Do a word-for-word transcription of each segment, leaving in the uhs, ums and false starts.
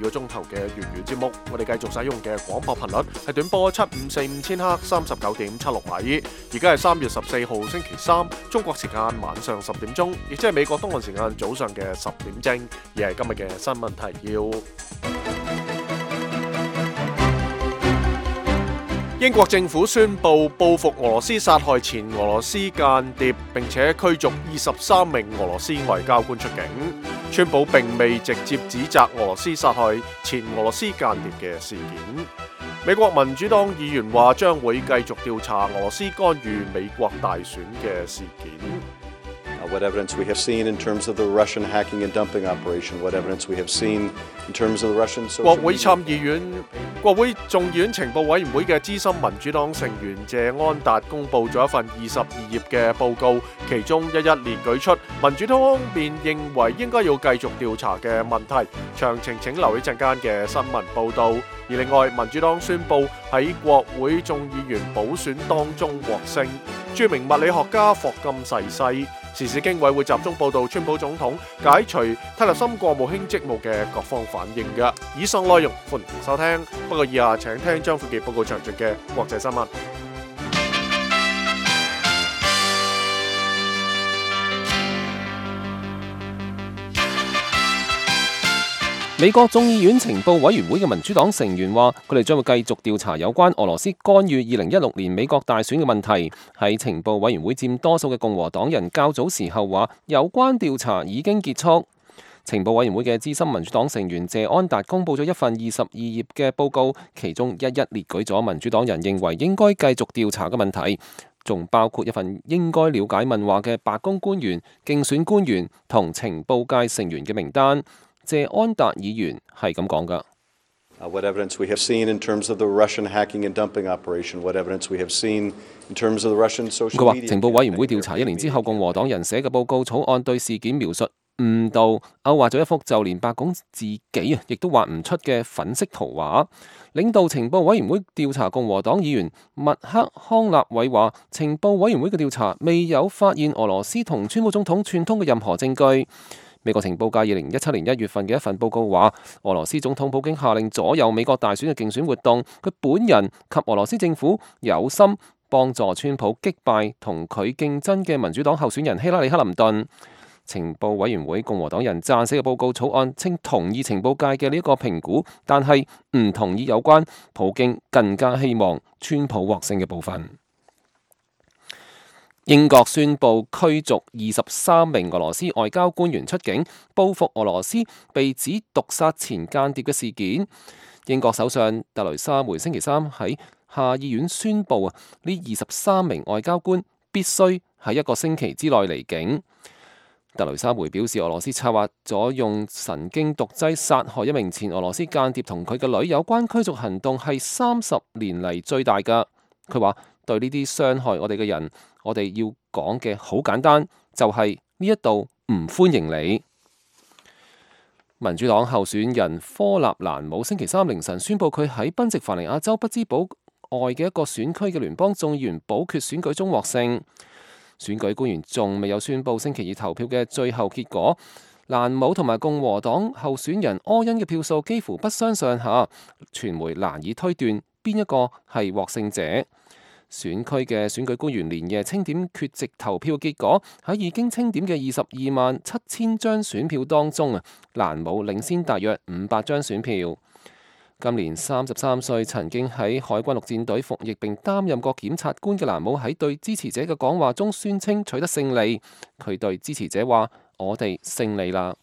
個鐘頭嘅粵語節目。我哋繼續使用嘅廣播頻率係短波七五四五千赫三十九點七六米。而家係三月十四號星期三，中國時間晚上十點鐘，亦即係美國東岸時間早上嘅十點正。而係今日嘅新聞提要。英國政府宣布報復俄羅斯殺害前俄羅斯間諜，並且驅逐二十三名俄羅斯外交官出境。川普並未直接指責俄羅斯殺害前俄羅斯間諜嘅事件。美國民主黨議員話將會繼續調查俄羅斯干預美國大選嘅事件。What evidence we have seen in terms of the Russian hacking and dumping operation? What evidence we have seen in terms of the Russian social media? 國會參議院、國會眾議院情報委員會嘅資深民主黨成員謝安達公布咗一份二十二頁嘅報告，其中一一列舉出民主黨方面認為應該要繼續調查嘅問題。詳情請留意陣間嘅新聞報導。而另外，民主黨宣布喺國會眾議員補選當中獲勝，著名物理學家霍金逝世。時事經緯會集中報導川普總統解除蒂勒森國務卿職務嘅各方反應嘅。以上內容歡迎收聽，不過以下請聽張富傑報告詳盡嘅國際新聞。美國眾議院情報委員會嘅民主黨成員話，佢哋將會繼續調查有關俄羅斯干預二零一六年美國大選嘅問題。喺情報委員會佔多數嘅共和黨人較早時候話，有關調查已經結束。情報委員會嘅資深民主黨成員謝安達公布咗一份二十二頁嘅報告，其中一一列舉咗民主黨人認為應該繼續調查嘅問題，仲包括一份應該了解問話嘅白宮官員、競選官員同情報界成員嘅名單。謝安達議員係咁講噶。What evidence we have seen in terms of the Russian hacking and dumping operation? What evidence we have seen in terms of the Russian social media? 佢話情報委員會調查一年之後，共和黨人寫嘅報告草案對事件描述誤導，勾畫咗一幅就連白宮自己啊亦都畫唔出嘅粉色圖畫。領導情報委員會調查共和黨議員麥克康納偉話，情報委員會嘅調查未有發現俄羅斯同川普總統串通嘅任何證據。美國情報界二零一七年一月份嘅一份報告話，俄羅斯總統普京下令左右美國大選嘅競選活動，佢本人及俄羅斯政府有心幫助川普擊敗同佢競爭嘅民主黨候選人希拉里克林頓。情報委員會共和黨人撰寫嘅報告草案稱同意情報界嘅呢一個評估，但係唔同意有關普京更加希望川普獲勝嘅部分。英國宣布驅逐二十三名俄羅斯外交官員出境，報復俄羅斯被指毒殺前間諜嘅事件。英國首相特雷莎梅星期三喺下議院宣布啊，呢二十三名外交官必須喺一個星期之內離境。特雷莎梅表示，俄羅斯策劃咗用神經毒劑殺害一名前俄羅斯間諜同佢嘅女，有關驅逐行動係三十年嚟最大㗎。佢話對呢啲傷害我哋嘅人，我哋要講嘅好簡單，就係呢一度唔歡迎你。民主黨候選人科納蘭姆星期三凌晨宣布，佢喺賓夕凡尼亞州不茲堡外嘅一個選區嘅聯邦眾議員補缺選舉中獲勝。選舉官員仲未有宣布星期二投票嘅最後結果。蘭姆同埋共和黨候選人柯恩嘅票數幾乎不相上下，傳媒難以推斷邊一個係獲勝者。選區嘅選舉官員連夜清點缺席投票結果，喺已經清點嘅二十二萬七千張選票當中啊，蘭姆領先大約五百張選票。今年三十三歲，曾經喺海軍陸戰隊服役並擔任過檢察官嘅蘭姆喺對支持者嘅講話中宣稱取得勝利。佢對支持者話：我哋勝利啦！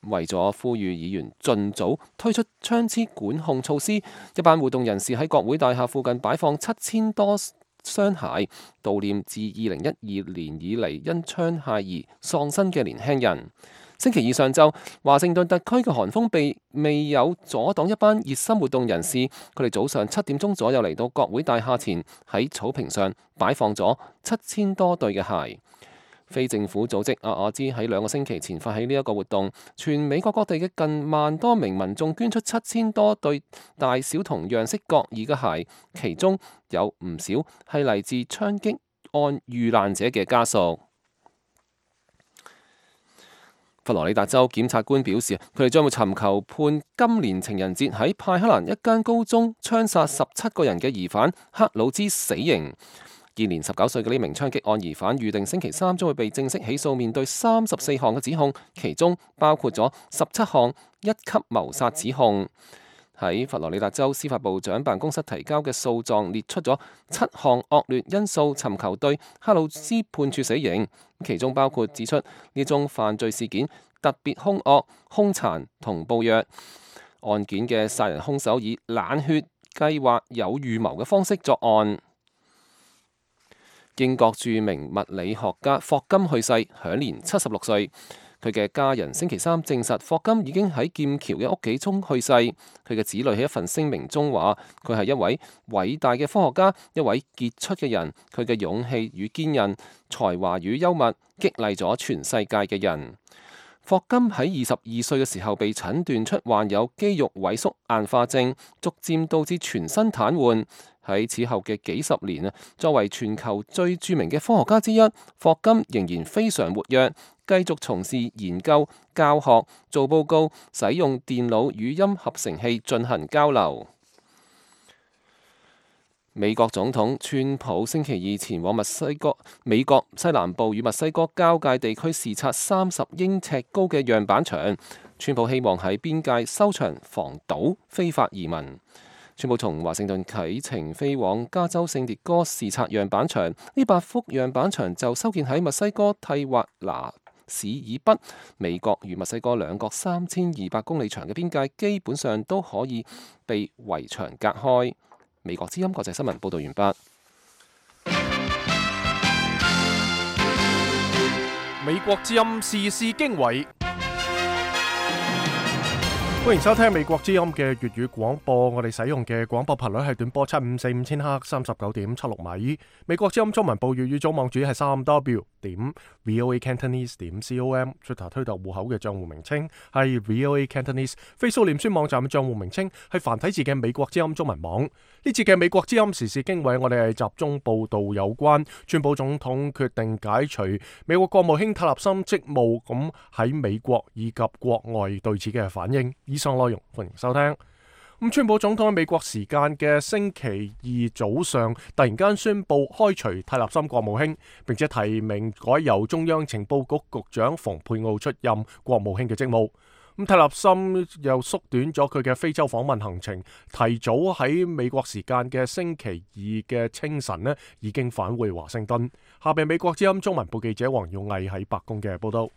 為咗呼籲議員盡早推出槍支管控措施，一班活動人士喺國會大廈附近擺放七千多雙鞋，悼念自二零一二年以嚟因槍械而喪生嘅年輕人。星期二上晝，華盛頓特區嘅寒風被未有阻擋一班熱心活動人士，佢哋早上七點鐘左右嚟到國會大廈前，喺草坪上擺放咗七千多對嘅鞋。非政府組織阿瓦茲喺兩個星期前發起呢一個活動，全美國各地嘅近萬多名民眾捐出七千多對大小同樣式各異嘅鞋，其中有唔少係嚟自槍擊案遇難者嘅家屬。佛羅里達州檢察官表示，佢哋將會尋求判今年情人節喺派克蘭一間高中槍殺十七個人嘅疑犯克魯茲死刑。現年十九歲嘅呢名槍擊案疑犯預定星期三將會被正式起訴，面對三十四項嘅指控，其中包括咗十七項一級謀殺指控。喺佛羅里達州司法部長辦公室提交嘅訴狀列出咗七項惡劣因素，尋求對克魯茲判處死刑，其中包括指出呢宗犯罪事件特別兇惡、兇殘同暴虐，案件嘅殺人兇手以冷血、計劃、有預謀嘅方式作案。英國著名物理學家霍金去世，享年七十六歲。佢嘅家人星期三證實，霍金已經喺劍橋嘅屋企中去世。佢嘅子女喺一份聲明中話：佢係一位偉大嘅科學家，一位傑出嘅人。佢嘅勇氣與堅韌、才華與幽默，激勵咗全世界嘅人。霍金喺二十二歲嘅時候被診斷出患有肌肉萎縮硬化症，逐漸導致全身癱瘓。喺此後嘅幾十年啊，作為全球最著名嘅科學家之一，霍金仍然非常活躍，繼續從事研究、教學、做報告，使用電腦語音合成器進行交流。美國總統川普星期二前往墨西哥、美國西南部與墨西哥交界地區視察三十英尺高嘅樣板牆。川普希望喺邊界修牆防堵非法移民。川普從華盛頓啟程飛往加州聖迭戈視察樣板牆，呢八幅樣板牆就修建喺墨西哥蒂華拿市以北。美國與墨西哥兩國三千二百公里長嘅邊界基本上都可以被圍牆隔開。美國之音國際新聞報道完畢。美國之音時事經緯。歡迎收聽美國之音嘅粵語廣播，我哋使用嘅廣播頻率係短波七五四五千赫三十九點七六米。美國之音中文部粵語組網址係三 w 點 voacantonese 點 com，Twitter 推特戶口嘅賬戶名稱係 voacantonese，Facebook 臉書網站嘅賬戶名稱係繁體字嘅美國之音中文網。呢次嘅美國之音時事經緯，我哋係集中報道有關川普總統決定解除美國國務卿泰勒森職務，咁喺美國以及國外對此嘅反應。以上內容歡迎收聽。咁川普總統喺美國時間嘅星期二早上突然間宣布開除泰勒森國務卿，並且提名改由中央情報局局長蓬佩奧出任國務卿嘅職務。咁泰勒森又縮短咗佢嘅非洲訪問行程，提早喺美國時間嘅星期二嘅清晨呢已經返回華盛頓。下邊美國之音中文部記者黃耀毅喺白宮嘅報道。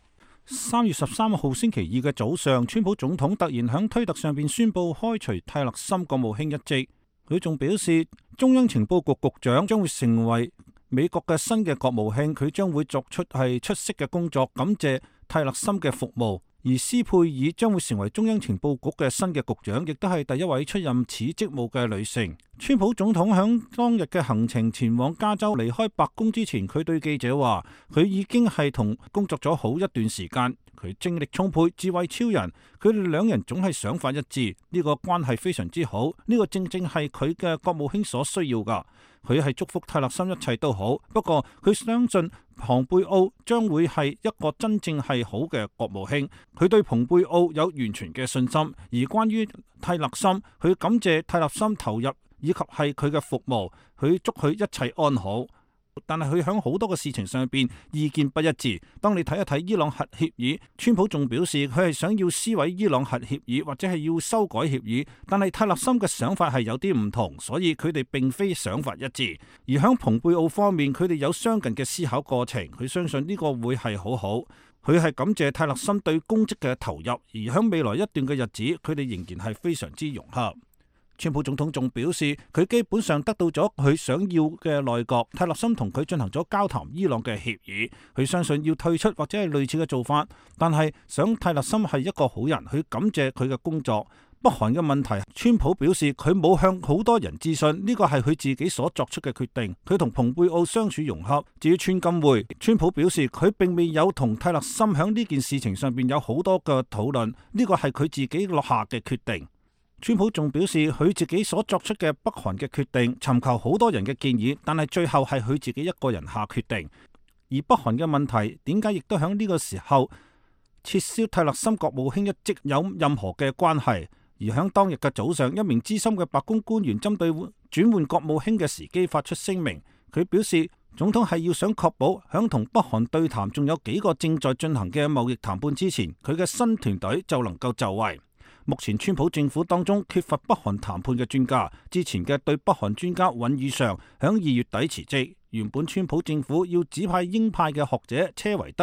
三月十三號星期二嘅早上，川普總統突然喺推特上邊宣布開除泰勒森國務卿一職。佢仲表示，中央情報局局長將會成為美國嘅新嘅國務卿，佢將會作出係出色嘅工作，感謝泰勒森嘅服務。而斯佩爾將會成為中央情報局嘅新嘅局長，亦都係第一位出任此職務嘅女性。川普總統響當日嘅行程前往加州，離開白宮之前，佢對記者話：佢已經係同工作咗好一段時間，佢精力充沛，智慧超人，佢哋兩人總係想法一致，呢個關係非常之好，呢個正正係佢嘅國務卿所需要噶。佢係祝福泰勒森一切都好，不過佢相信蓬佩奧將會係一個真正係好嘅國務卿，佢對蓬佩奧有完全嘅信心。而關於泰勒森，佢感謝泰勒森投入以及係佢嘅服務，佢祝佢一切安好。但係佢喺好多嘅事情上邊意見不一致。當你睇一睇伊朗核協議，川普仲表示佢係想要撕毀伊朗核協議或者係要修改協議，但係泰勒森嘅想法係有啲唔同，所以佢哋並非想法一致。而喺蓬佩奧方面，佢哋有相近嘅思考過程，佢相信呢個會係好好。佢係感謝泰勒森對公職嘅投入，而喺未來一段嘅日子，佢哋仍然係非常之融洽。川普總統仲表示，佢基本上得到咗佢想要嘅內閣。泰勒森同佢進行咗交談伊朗嘅協議，佢相信要退出或者係類似嘅做法，但係想泰勒森係一個好人，佢感謝佢嘅工作。北韓嘅問題，川普表示佢冇向好多人諮詢，呢個係佢自己所作出嘅決定。佢同蓬佩奧相處融洽。至於川金會，川普表示佢並未有同泰勒森響呢件事情上邊有好多嘅討論，呢個係佢自己落下嘅決定。川普仲表示佢自己所作出嘅北韓嘅決定，尋求好多人嘅建議，但係最後係佢自己一個人下決定。而北韓嘅問題點解亦都喺呢個時候撤銷泰勒森國務卿一職有任何嘅關係。而響當日嘅早上，一名資深嘅白宮官員針對轉換國務卿嘅時機發出聲明，佢表示總統係要想確保響同北韓對談仲有幾個正在進行嘅貿易談判之前，佢嘅新團隊就能夠就位。目前川普政府當中缺乏北韓談判嘅專家，之前嘅對北韓專家尹宇尚響二月底辭職。原本川普政府要指派鷹派嘅學者車維德